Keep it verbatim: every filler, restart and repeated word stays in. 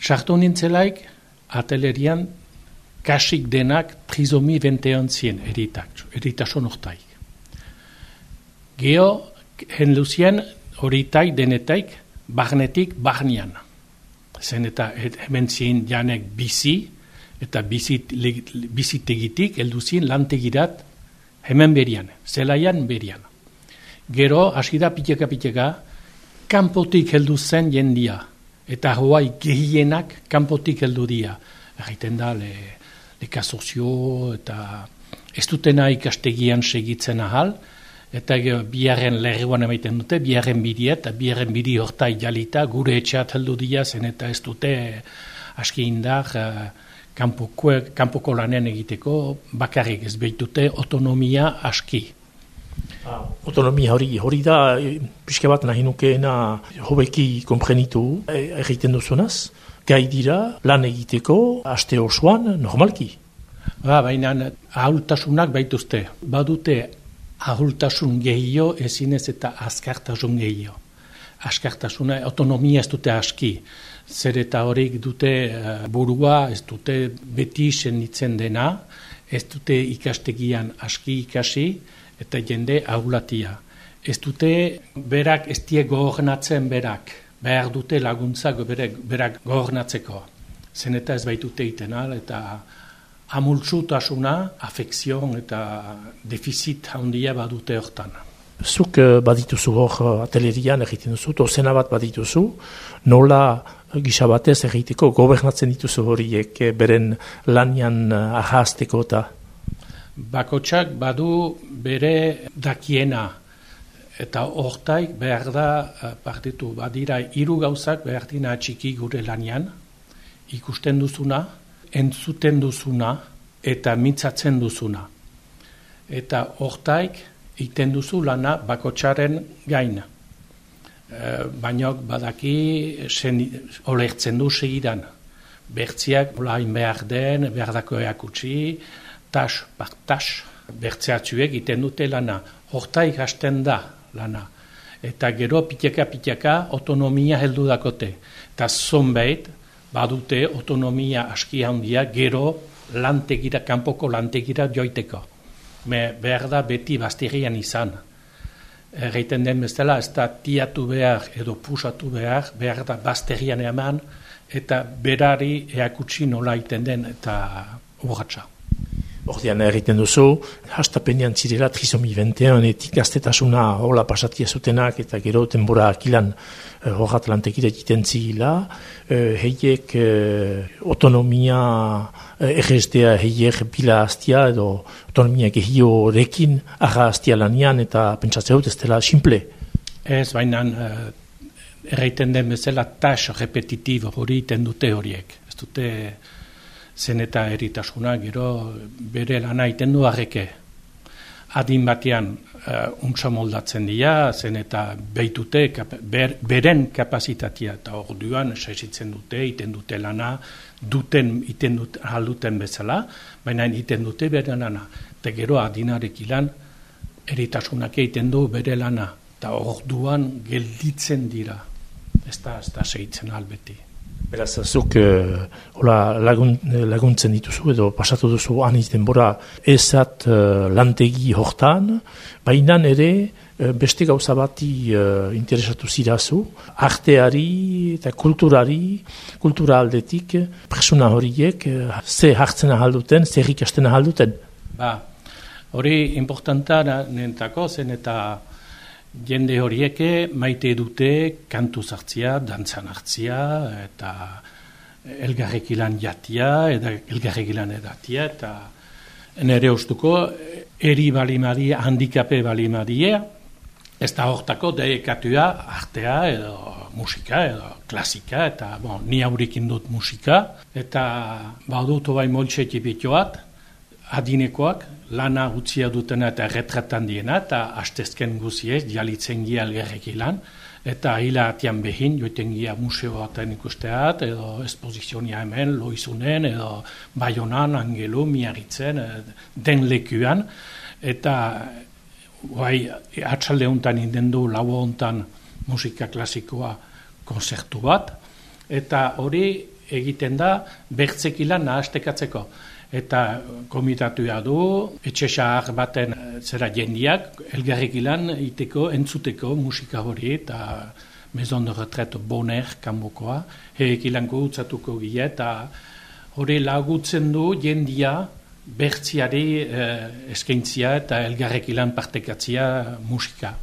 sartu nintzelaik, atelerian, kasik denak trisomi bentean zien eritak, eritasun hortaik. Geo, hen luzien, horitaik denetaik, barnetik barnean. Zen eta hemen zien janek bizi, eta bizit, bizitegitik elduzien lantegirat hemen berian, zelaian berian. Gero, hasi da piteka-piteka, kanpotik heldu zen jendia, eta hoai gehienak kanpotik heldu dia. Egiten da, le, lekazozio eta ez dutena ikastegian segitzen ahal, eta biharren lerruan emaiten dute, biharren bidea, eta biharren bidi hortai jalita, gure etxeat heldu dia, zen eta ez dute aski indar, kanpoko, kanpoko lanen egiteko, bakarrik ez behitute autonomia aski. Ah, autonomia hori, hori da, pixka bat nahi nukeena hobeki komprenitu egiten duzunaz, gai dira lan egiteko aste osoan normalki. Ba, baina ahultasunak baituzte, badute ahultasun gehio ezinez eta azkartasun gehio. Askartasuna, autonomia ez dute aski, zer eta horik dute burua, ez dute beti senditzen dena, ez dute ikastegian aski ikasi, eta jende ahulatia. Ez dute berak ez die gogonatzen berak, behar dute laguntzak berak, berak gogonatzeko. Zen eta ez baitute itenal, eta amultsutasuna, afekzion eta defizit handia badute hortan. Zuk badituzu hor atelerian egiten duzu, dozena bat badituzu, nola gisa batez egiteko gobernatzen dituzu horiek beren lanian ahazteko eta? Bakotsak badu bere dakiena, eta hortaik behar da partitu, badira hiru gauzak behar dina txiki gure lanian, ikusten duzuna, entzuten duzuna, eta mintzatzen duzuna. Eta hortaik iten duzu lana bakotsaren gain. E, Baina badaki olertzen du segidan. Bertziak olain behar den, behar dako eakutsi, tas, par tas, bertzeatzuek iten dute lana. Hortaik hasten da lana. Eta gero piteka-piteka autonomia heldu dakote. Eta zonbait badute autonomia aski handia gero lantegira, kanpoko lantegira joiteko. Me behar da beti bazterian izan. Erreiten den bezala, ez da tiatu behar edo pusatu behar, behar da bazterian eman, eta berari eakutsi nola iten den eta urratsa. Ordean erriten duzu, hastapenean zirela trisomi benteanetik gaztetasuna hola pasatia zutenak eta gero denbora akilan horrat uh, lantekira egiten zila, uh, heiek uh, autonomia uh, erreztea heiek bila hastia edo autonomia gehiorekin arra hastia lanian eta pentsatzea dut ez dela simple. Ez, baina uh, erraiten den bezala tas repetitibo hori iten dute horiek. Ez dute zen eta eritasuna, gero bere lana iten du arreke. Adin batean uh, untsa moldatzen dira, zen eta behitute ber, beren kapazitatea, eta orduan saizitzen dute, iten dute lana, duten iten dut, alduten bezala, baina iten dute bere lana. Eta gero adinarek ilan, eritasunak egiten du bere lana, eta orduan gelditzen dira. Ez da, ez da segitzen albeti. Beraz, zuk uh, lagun, laguntzen dituzu edo pasatu duzu aniz denbora ezat uh, lantegi hortan, baina ere uh, beste gauza bati uh, interesatu zirazu, arteari eta kulturari, kultura aldetik, presuna horiek, uh, ze hartzen ahalduten, zer ikasten ahalduten? Ba, hori importanta nentako zen eta jende horieke maite dute kantu zartzia, dantzan hartzia, eta elgarrek ilan jatia, eta elgarrek ilan edatia, eta nere ustuko eri balimadia, handikape balimadia, ez da hortako deekatua artea, edo musika, edo klasika, eta bon, ni haurikin dut musika, eta badut obai moltxe tipitoat, adinekoak, lana utzia dutena eta retratan diena, eta hastezken guziez, dialitzen gia elgerrek ilan, eta hila atian behin, joiten gia museoaten ikusteat, edo espozizionia hemen, loizunen, edo Baionan, Angelu, Miarritzen, den lekuan, eta guai, atxalde hontan indendu, lau hontan musika klasikoa konzertu bat, eta hori egiten da bertzekilan nahastekatzeko. Eta komitatua du, etxe xahar baten zera jendiak, elgarrekilan iteko, entzuteko musika hori, eta Maison de Retraite Bonner kanbokoa, herekilanko utzatuko gila, eta hori lagutzen du jendia bertziari eh, eskaintzia eta elgarrekilan partekatzia musika.